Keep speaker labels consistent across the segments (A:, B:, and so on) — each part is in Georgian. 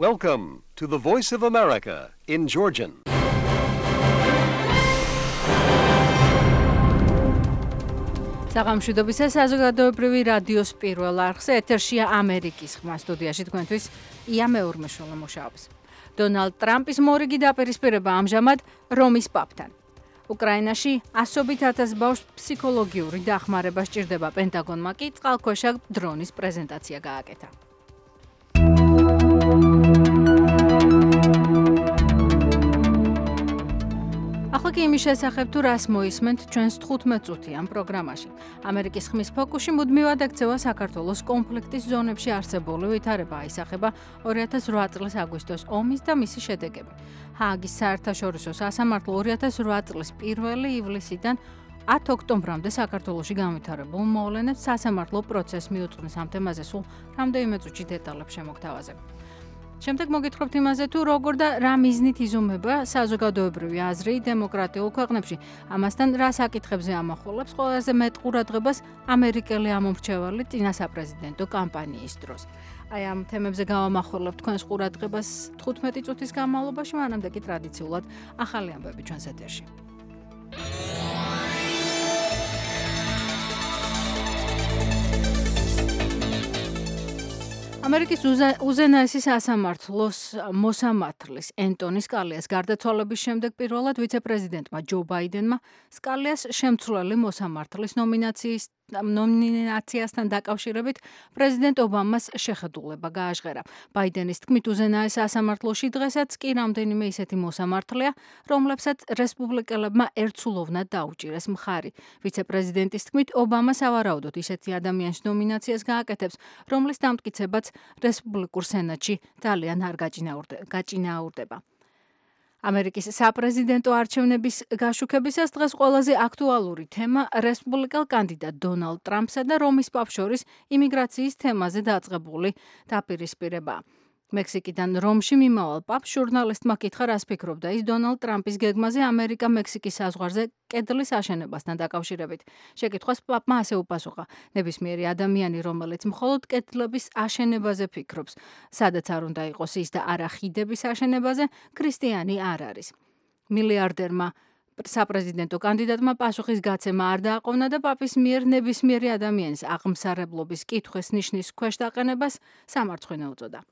A: Welcome to the Voice of America in Georgian.
B: საღამოშვიდობისა საზოგადოებრივი რადიოს პირველ არხზე ეთერშია ამერიკის ხმა სტუდიაში თქვენთვის ია მეურმეშოლა მუშაობს. დონალდ ტრამპის მორიგი დაპირისპირება ამჟამად რომის პაპთან. უკრაინაში ასობით ათას ბავშვს ფსიქოლოგიური დახმარება სჭირდება, პენტაგონმა კი წყალქვეშა დრონის პრეზენტაცია გააკეთა. ახლა კი იმის შესახებ თუ რას მოისმენთ ჩვენს 15 წუთიან პროგრამაში. ამერიკის ხმის ფოკუსში მუდმივად ექცევა საქართველოს კონფლიქტის ზონებში არსებული ვითარება, აისახება 2008 წლის აგვისტოს ომის და მისი შედეგები. ჰააგის საერთაშორისო სასამართლო 2008 წლის 1 ივლისიდან 10 ოქტომბრამდე საქართველოში განვითარებულ მოვლენებს სასამართლო პროცესს მიუძღვნის ამ თემაზე სულ რამდენიმე წუთში დეტალებს შემოგთავაზებ. შემდეგ მოგითხრობთ იმაზე, თუ როგორ და რა მიზნით იზომება საზოგადოებრივი აზრი დემოკრატიულ ქვეყნებში. ამასთან რა საკითხებზე ამახვილებს ყველაზე მეტ ყურადღებას ამერიკელი ამომრჩეველი წინა საპრეზიდენტო კამპანიის დროს. აი ამ თემებზე გავამახვილებ თქვენს ყურადღებას 15 წუთის განმავლობაში, მანამდე კი ტრადიციულად ახალი ამბები ჩვენს ეთერში. ამერიკის უზენაესი სასამართლოს მოსამართლის ენტონი სკალიას გარდაცვალების შემდეგ პირველად ვიცე-პრეზიდენტმა ჯო ბაიდენმა სკალიას შემცვლელი მოსამართლის ნომინაციასთან დაკავშირებით პრეზიდენტ ობამას შეხედულება გააჟღერა. ბაიდენის თქმით, უზენაეს სასამართლოში დღესაც კი რამდენიმე ისეთი მოსამართლეა, რომლებსაც რესპუბლიკელებმა ერთსულოვნად დაუჭირეს მხარი. ვიცე-პრეზიდენტის თქმით, ობამა სავარაუდოდ ისეთი ადამიანის ნომინაციას გააკეთებს, რომლის დამტკიცებაც რესპუბლიკურ სენატში ძალიან არ გაჭინაურდება. ამერიკის საპრეზიდენტო არჩევნების გაშუქებისას დღეს ყველაზე აქტუალური თემა რესპუბლიკელ კანდიდატ დონალდ ტრამპსა და რომის პაპს შორის იმიგრაციის თემაზე დაწყებული დაპირისპირებაა. მექსიკიდან რომში მიმავალ პაპს ჟურნალისტმა კითხა, რას ფიქრობდა ის დონალდ ტრამპის გეგმაზე ამერიკა-მექსიკის საზღვარზე კედლის აშენებასთან დაკავშირებით. შეკითხვას პაპმა ასე უპასუხა: ნებისმიერი ადამიანი, რომელიც მხოლოდ კედლების აშენებაზე ფიქრობს, სადაც არ უნდა იყოს ის და არა ხიდების აშენებაზე, ქრისტიანი არ არის. მილიარდერმა საპრეზიდენტო კანდიდატმა პასუხის გაცემა არ დააყოვნა და პაპის მიერ ნებისმიერი ადამიანის აღმსარებლობის კითხვის ნიშნის ქვეშ დაყენებას სამარცხვინე უწოდა.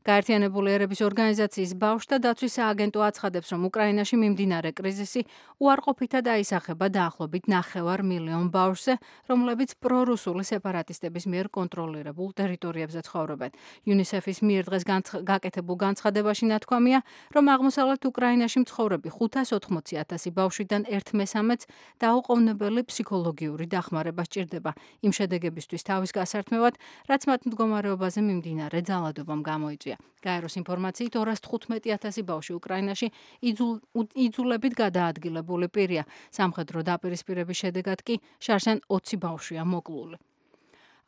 B: გაერთიანებული ერების ორგანიზაციის ბავშვთა დაცვის სააგენტო აცხადებს, რომ უკრაინაში მიმდინარე კრიზისი უარყოფითად აისახება დაახლოებით 500,000 ბავშვზე, რომლებიც პრორუსული სეპარატისტების მიერ კონტროლირებულ ტერიტორიებზე ცხოვრობენ. UNICEF-ის მიერ დღეს გაკეთებულ განცხადებაში ნათქვამია, რომ აღმოსავლეთ უკრაინაში მცხოვრები 580,000 ბავშვიდან 1/3-ს დაუყოვნებელი ფსიქოლოგიური დახმარება სჭირდება იმ შედეგებისთვის თავის გასართმევად, რაც მათ მდგომარეობაზე მიმდინარე ძალადობამ გამოიწვია. გაეროს ინფორმაციით 215,000 ბავშვი უკრაინაში იძულებით გადაადგილებული პირია. სამხედრო დაპირისპირების შედეგად კი შარშან 20 ბავშვია მოკლული.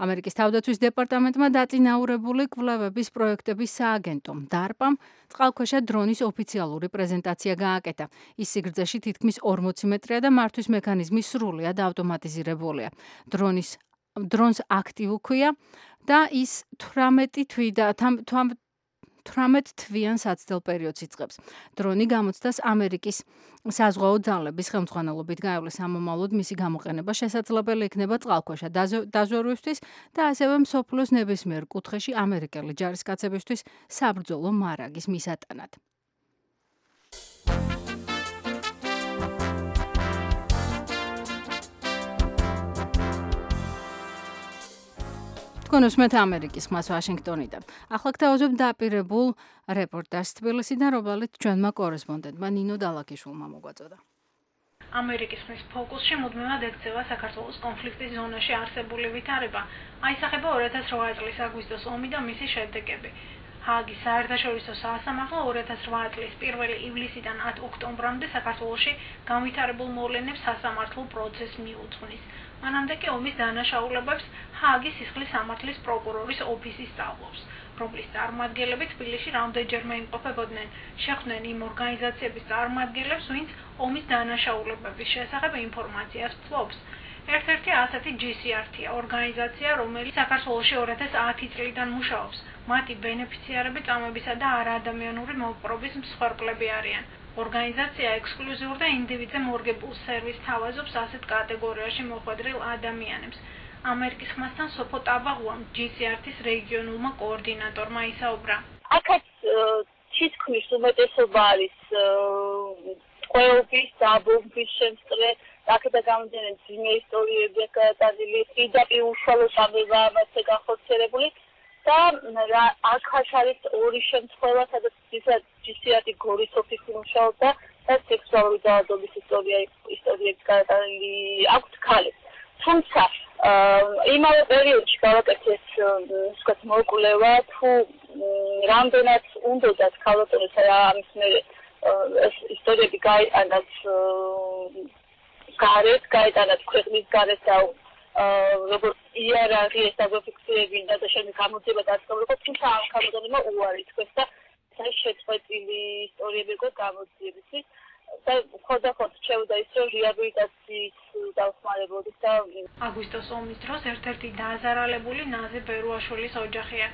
B: ამერიკის თავდაცვის დეპარტამენტმა დაწინაურებული კვლევების პროექტების სააგენტომ DARPA-მ წყალქვეშა დრონის ოფიციალური პრეზენტაცია გააკეთა. ის სიგრძეში თითქმის 40 მეტრია და მართვის მექანიზმი სრულიად ავტომატიზირებულია. დრონს აქტივ ქვია და ის 18 თვიან საცდელ პერიოდს იწყებს. დრონი გამოცდას ამერიკის საზღვაო ძალების ხელმძღვანელობით გაივლის. ამომავლოდ მისი გამოყენება შესაძლებელი იქნება წყალქვეშა დაზვერვისთვის და ასევე მსოფლიოს ნებისმიერ კუთხეში ამერიკელი ჯარისკაცებისთვის საბრძოლო მარაგის მისატანად. თქვენ უსმენთ ამერიკის ხმას ვაშინგტონიდან. ახლა გთავაზობთ დაპირებულ რეპორტაჟს თბილისიდან, რომელიც ჩვენმა კორესპონდენტმა ნინო დალაკიშვილმა მოგვაწოდა.
C: ამერიკის ხმის ფოკუსში მუდმივად ექცევა საქართველოს კონფლიქტის ზონაში არსებული ვითარება, აისახება 2008 წლის აგვისტოს ომი და მისი შედეგები. ჰააგის საერთაშორისო სასამართლო 2008 წლის 1 ივლისიდან 10 ოქტომბრამდე საქართველოში განვითარებულ მოვლენებს სასამართლო პროცესს მიუძღვნის. მანამდე კი ომის დანაშაულებებს ჰააგის სისხლის სამართლის პროკურორის ოფისი სწავლობს, რომლის წარმომადგენლები თბილისში რამდენჯერმე იმყოფებოდნენ. შეხვდნენ იმ ორგანიზაციების წარმომადგენლებს, ვინც ომის დანაშაულებების შესახებ ინფორმაციას ფლობს. ერთ-ერთი ასეთი GCRT-ია ორგანიზაცია, რომელიც საქართველოში 2010 წლიდან მუშაობს. მათი ბენეფიციარები წამებისა და არაადამიანური მოპყრობის მსხვერპლები არიან. ორგანიზაცია ექსკლუზიურ და ინდივიდზე მორგებულ სერვისს თავაზობს ასეთ კატეგორიაში მოხვედრილ ადამიანებს. ამერიკის ხმასთან სოფო ტაბაღუამ GCRT-ის რეგიონულმა კოორდინატორმა ისაუბრა.
D: აქაც თითქმის უმეტესობა არის ყველობის, დაბომბვის შემსწრე, აქედან გამომდინარე ძიმე ისტორიები გადატანილი, პირდაპირ უშუალო სამება ამასე განხორციელებული და აქაც არის ორი შემთხვევა, სადაც GCRT გორის ოფისი მუშაობდა და სექსუალური დაავადების ისტორიები გადატანილი აქვთ ქალებს. თუმცა იმავე პერიოდში გავაკეთეთ ვთქვათ მოკვლევა თუ რამდენად უნდათ ქალბატონებს ამის მერე ეს ისტორიები გაიტანათ გარეთ, გაიტანათ ქვეყნის გარეთ და როგორც იარაღი ეს დაგაფიქსირებინა და შემდეგ გამოძიება დაწყებულიყო, თუმცა ამ ქალბატონებმა უარი თქვეს და ეს შეწყვეტილი ისტორიები იყო გამოძიებისთვის და ხოდახოდ შეუდა ის რომ რეაბილიტაციის დავხმარებოდეს და
C: აგვისტოს ომის დროს ერთ-ერთი დააზარალებული ნაზი ბერუაშვილის ოჯახია.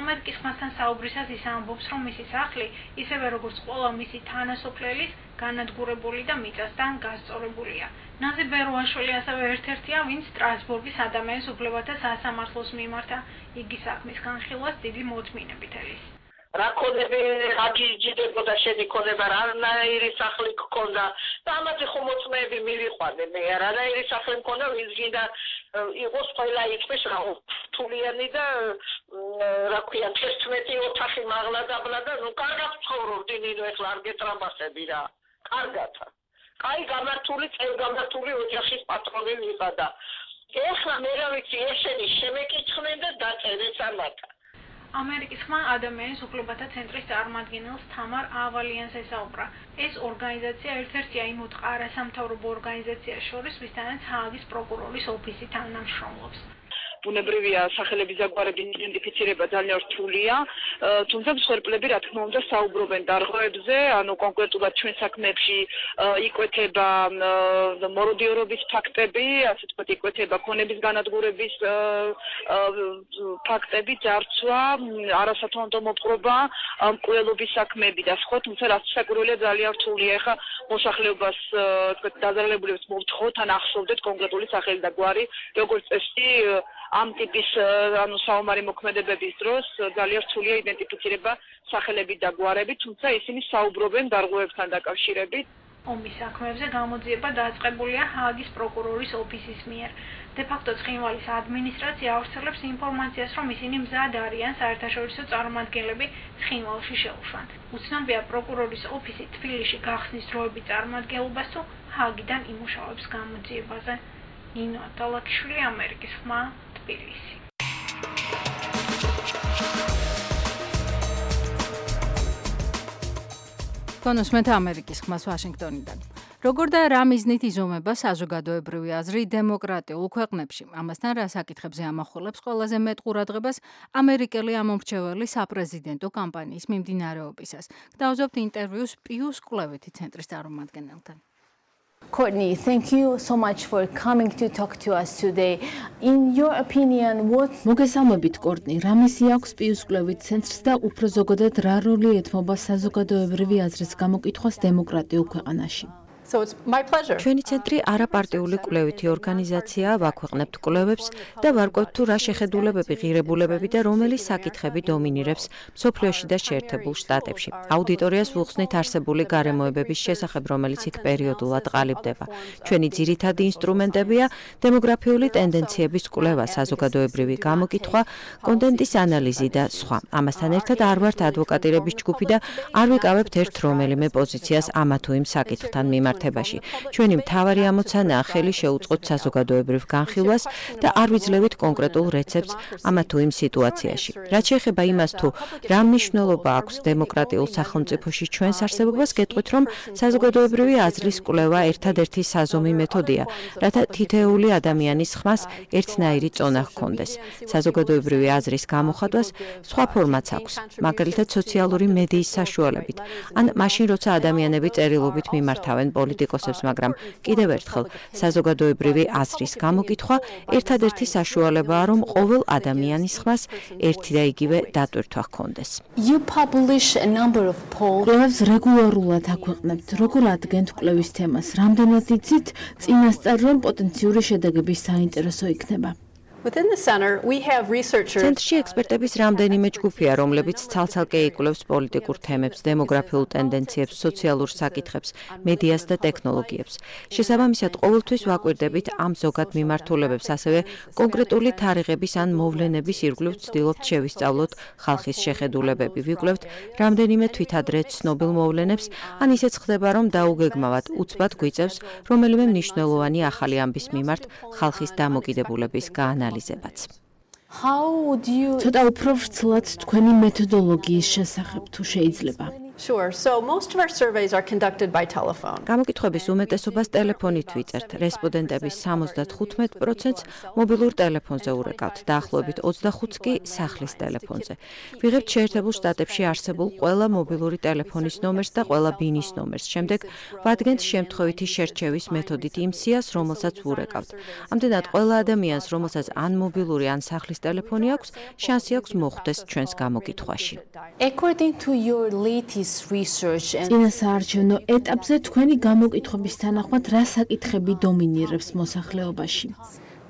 C: ამერიკის ხმასთან საუბრისას ის ამბობს, რომ მისი სახლი, ისევე როგორც ყველა მისი თანასოფლელის, განადგურებული და მიწასთან გასწორებულია. ნაზი ბერუაშვილი ასევე ერთ-ერთია, ვინც სტრასბურგის ადამიანის უფლებათა სასამართლოს მიმართა. იგი საქმის განხილვას დიდი მოწმინებით ელის.
E: რა ქონები რა გიჯდებოდა შენი ქონება რანაირი სახლი გქონდა და ამაზე ხომ მოწმეები მივიყვანე მე რანაირი სახლი მქონდა ვინც გინდა იყოს ყველა იქպես რა თულიანი და რა ქვია 11 ოთახი მაღლა დაბლა და ნუ კარგად ცხოვრობდი ნინო ეხლა არ გეტრამასები რა კარგად კაი გამართული წელგამართული ოჯახის პატრონი ვიყავ და ეხლა მე რა ვიცი ესენი შემეკითხნენ და დაწერეს ამათა
C: ამერიკის ხმა ადამიანის უფლებათა ცენტრის წარმომადგენელს თამარ ავალიანს ესაუბრა. ეს ორგანიზაცია ერთ-ერთია იმ არასამთავრობო ორგანიზაციას შორის, ვისთანაც ჰააგის პროკურორის ოფისი თანამშრომლობს.
F: ბუნებრივია სახელების დაგვარების იდენტიფიცირება ძალიან რთულია, თუმცა მსხვერპლები რა თქმა უნდა საუბრობენ დარღვევებზე, ანუ კონკრეტულად ჩვენ საქმეებში იკვეთება მოროდიორობის ფაქტები, ასე ვთქვათ, იკვეთება ქონების განადგურების ფაქტები, ძარცვა, არასათანადო მოპყრობა, მკვლელობის საქმეები და სხვა, თუმცა რაც საკურველია ძალიან რთულია. ეხლა მოსახლეობას ვთქვათ დაზარალებულებს მოვთხოვთ ან ახსოვდეთ კონკრეტული სახელი და გვარი, როგორც წესი ამ ტიპის ანუ საომარი მოქმედებების დროს ძალიან რთულია იდენტიფიცირება სახელები და გვარები, თუმცა ისინი საუბრობენ დარღვევებთან დაკავშირებით.
C: ომის საქმეებზე გამოძიება დაწყებულია ჰააგის პროკურორის ოფისის მიერ. დე-ფაქტო ცხინვალის ადმინისტრაცია ავრცელებს ინფორმაციას, რომ ისინი მზად არიან საერთაშორისო წარმომადგენლები ცხინვალში შეუშვან. უცნობია პროკურორის ოფისი თბილისში გახსნის დროებით წარმომადგენლობას თუ ჰააგიდან იმუშავებს გამოძიებაზე. ნინო ატალაკიშვილი, ამერიკის ხმა, თბილისი.
B: კონსმეთ ამერიკის ხმას ვაშინგტონიდან. როგორ და რა მიზნით იზომება საზოგადოებრივი აზრი დემოკრატიულ ქვეყნებში? ამასთან რა საკითხებზე ამახვილებს ყველაზე მეტ ყურადღებას ამერიკელი ამომრჩეველი საპრეზიდენტო კამპანიის მიმდინარეობისას? გთავაზობთ ინტერვიუს პიუს კვლევითი ცენტრის წარმომადგენელთან.
G: Courtney, thank you so much for coming to talk to us today. In your opinion, what
H: მოგესალმებით, კორტნი, რა მისია აქვს პიუს კვლევით ცენტრს და უფრო ზოგადად რა როლი ეთმობა საზოგადოებრივი აზრის გამოკითხვას დემოკრატიულ ქვეყანაში?
I: So it's my pleasure.
J: ჩვენი ცენტრი არაპარტიული კვლევითი ორგანიზაციაა, ვაქვეყნებთ კვლევებს და ვარკვევთ თუ რა შეხედულებები, ღირებულებები და რომელი საკითხები დომინირებს მსოფლიოში და შეერთებულ შტატებში. აუდიტორიას ვუხსნით არსებული გარემოებების შესახებ, რომელიც იქ პერიოდულად ყალიბდება. ჩვენი ძირითადი ინსტრუმენტებია დემოგრაფიული ტენდენციების კვლევა, საზოგადოებრივი გამოკითხვა, კონტენტის ანალიზი და სხვა. ამასთან ერთად არ ვართ ადვოკატირების ჯგუფი და არ ვიკავებთ ერთ რომელიმე პოზიციას ამა თუ იმ საკითხთან მიმართ. ჩვენი მთავარი ამოცანაა ხელი შეუწყოთ საზოგადოებრივ განხილვას და არ ვიძლევით კონკრეტულ რეცეპტს ამა თუ იმ სიტუაციაში. რაც შეეხება იმას თუ რა მნიშვნელობა აქვს დემოკრატიულ სახელმწიფოში ჩვენს არსებობას, გეტყვით რომ საზოგადოებრივი აზრის კვლევა ერთადერთი საზომი მეთოდია, რათა თითოეული ადამიანის ხმას ერთნაირი წონა ჰქონდეს. საზოგადოებრივი აზრის გამოხატვას სხვა ფორმაც აქვს, მაგალითად სოციალური მედიის საშუალებით, ან მაშინ როცა ადამიანები წერილობით მიმართავენ პოლიციას პოლიტიკოსებს, მაგრამ კიდევ ერთხელ საზოგადოებრივი აზრის გამოკითხვა ერთადერთი საშუალებაა, რომ ყოველ ადამიანის ხმას ერთი და იგივე დატვირთვა ჰქონდეს.
G: You publish a number of polls.
H: კვლევებს რეგულარულად აქვეყნებთ. როგორ ადგენთ კვლევის თემას? რამდენად იცით წინასწარ, რომ პოტენციური შედეგების საინტერესო იქნება?
J: ცენტრში ექსპერტების რამდენიმე ჯგუფია, რომლებიც ცალ-ცალკე იკვლევს პოლიტიკურ თემებს, დემოგრაფიულ ტენდენციებს, სოციალურ საკითხებს, მედიას და ტექნოლოგიებს. შესაბამისად, ყოველთვის ვაკვირდებით ამ ზოგად მიმართულებებს, ასევე კონკრეტული თარიღების ან მოვლენების ირგვლივ ვცდილობთ შევისწავლოთ ხალხის შეხედულებები, ვიკვლევთ რამდენიმე თვითადრე ცნობილ მოვლენებს, ან ისეც ხდება, რომ დაუგეგმავად უცბად გვიწევს რომელიმე მნიშვნელოვანი ახალი ამბის მიმართ ხალხის დამოკიდებულების გაანალიზება.
G: How would you
H: ცოტა უფრო ვრცლად თქვენი მეთოდოლოგიის შესახებ თუ შეიძლება?
J: გამოკითხვების უმეტესობას ტელეფონით ვიწერთ. რესპონდენტების 75%-ს მობილურ ტელეფონზე ურეკავთ, დაახლოებით 25%-ს კი სახლის ტელეფონზე. ვიღებთ შეერთებულ შტატებში არსებულ ყველა მობილური ტელეფონის ნომერს და ყველა ბინის ნომერს. შემდეგ ვადგენთ შემთხვევითი შერჩევის მეთოდით იმ სიას, რომელსაც ვურეკავთ. ამდენად ყველა ადამიანს, რომელსაც ან მობილური, ან სახლის ტელეფონი აქვს, შანსი აქვს მოხვდეს ჩვენს გამოკითხვაში.
G: According to your latest research and
H: წინასაარჩევნო ეტაპზე თქვენი გამოკითხვების თანახმად რა საკითხები დომინირებს მოსახლეობაში?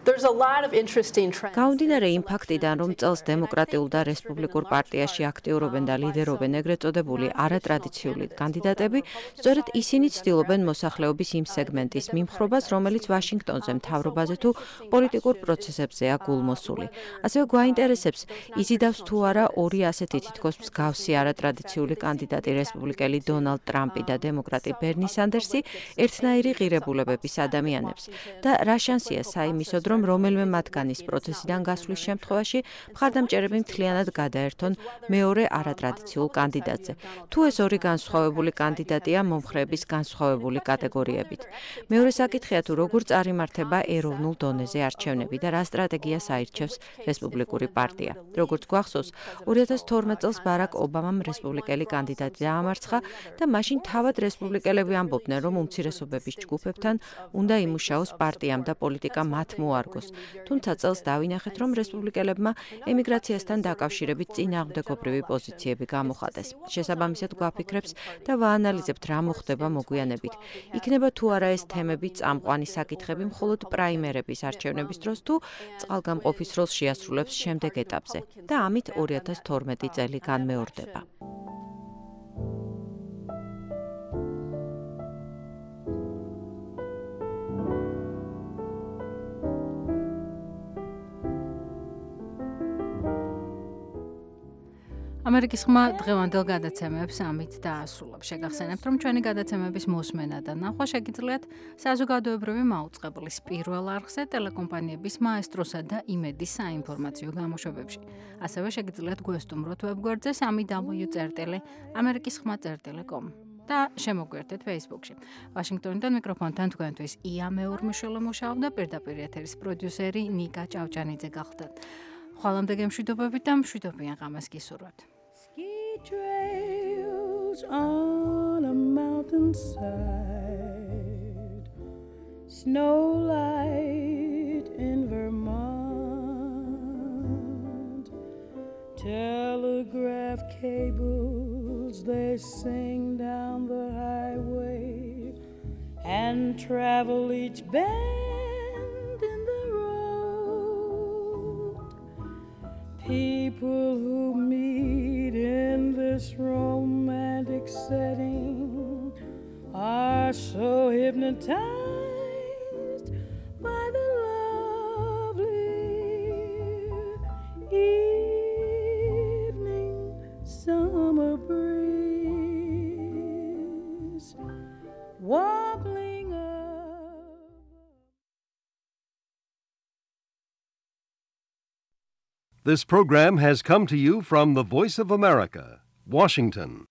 J: გაუნდინარე იმ ფაქტიდან, რომ წელს დემოკრატიულ და რესპუბლიკურ პარტიაში აქტიურობენ და ლიდერობენ ეგრეთ წოდებული არატრადიციული კანდიდატები, სწორედ ისინი ცდილობენ მოსახლეობის იმ სეგმენტის მიმხრობას, რომელიც ვაშინგტონზე მთავრობაზე თუ პოლიტიკურ პროცესებზეა გულმოსული. ასევე გვაინტერესებს, იზიდავს თუ არა ორი ასეთი თითქოს მსგავსი არატრადიციული კანდიდატი რესპუბლიკელი დონალდ ტრამპი და დემოკრატი ბერნი სანდერსი ერთნაირი ღირებულებების ადამიანებს და რა შანსია საიმისოდ, რომ რომელიმე მათგანის პროცესიდან გასვლის შემთხვევაში მხარდამჭერები მთლიანად გადაერთონ მეორე არატრადიციულ კანდიდატზე. თუ ეს ორი განსხვავებული კანდიდატია მომხრეების განსხვავებული კატეგორიებით. მეორე საკითხია თუ როგორ წარიმართება ეროვნულ დონეზე არჩევნები და რა სტრატეგიას აირჩევს რესპუბლიკური პარტია. როგორც გვახსოვს, 2012 წელს ბარაკ ობამამ რესპუბლიკელი კანდიდატი დაამარცხა და მაშინ თავად რესპუბლიკელები ამბობდნენ, რომ უმცირესობების ჯგუფებთან უნდა იმუშაოს პარტიამ და პოლიტიკა მათ მოარგოს. თუმცა წელს დავინახეთ, რომ რესპუბლიკელებმა ემიგრაციასთან დაკავშირებით წინააღმდეგობრივი პოზიციები გამოხატეს. შესაბამისად გვაფიქრებს და ვაანალიზებთ რა მოხდება მოგვიანებით. იქნება თუ არა ეს თემები წამყვანი საკითხები მხოლოდ პრაიმერების არჩევნების დროს თუ წყალგამყოფის როლს შეასრულებს შემდეგ ეტაპზე და ამით 2012 წელი განმეორდება.
B: ამერიკის ხმა დღევანდელ გადაცემებს ამით დაასრულებს. შეგახსენებთ, რომ ჩვენი გადაცემების მოსმენა და ნახვა შეგიძლიათ საზოგადოებრივი მაუწყებლის პირველ არხზე, ტელეკომპანიების მაესტროსა და იმედის საინფორმაციო გამოშვებებში. ასევე შეგიძლიათ გვესტუმროთ ვებგვერდზე www.amerikiskhma.com და შემოგვიერთეთ Facebook-ში. ვაშინგტონიდან მიკროფონთან თქვენთვის ია მეურმიშვილე მუშაობდა, პირდაპირ ეთერის პროდიუსერი ნიკა ჭავჭანიძე გახლდათ. ხვალამდე გემშვიდობებით და მშვიდობიან ღამეს გისურვებთ.
I: Trails on a mountainside, snow light in Vermont, telegraph cables they sing down the highway and travel each bend in the road. People who meet in this romantic setting are so hypnotized by the lovely evening summer breeze wobbling up.
A: This program has come to you from the Voice of America, Washington.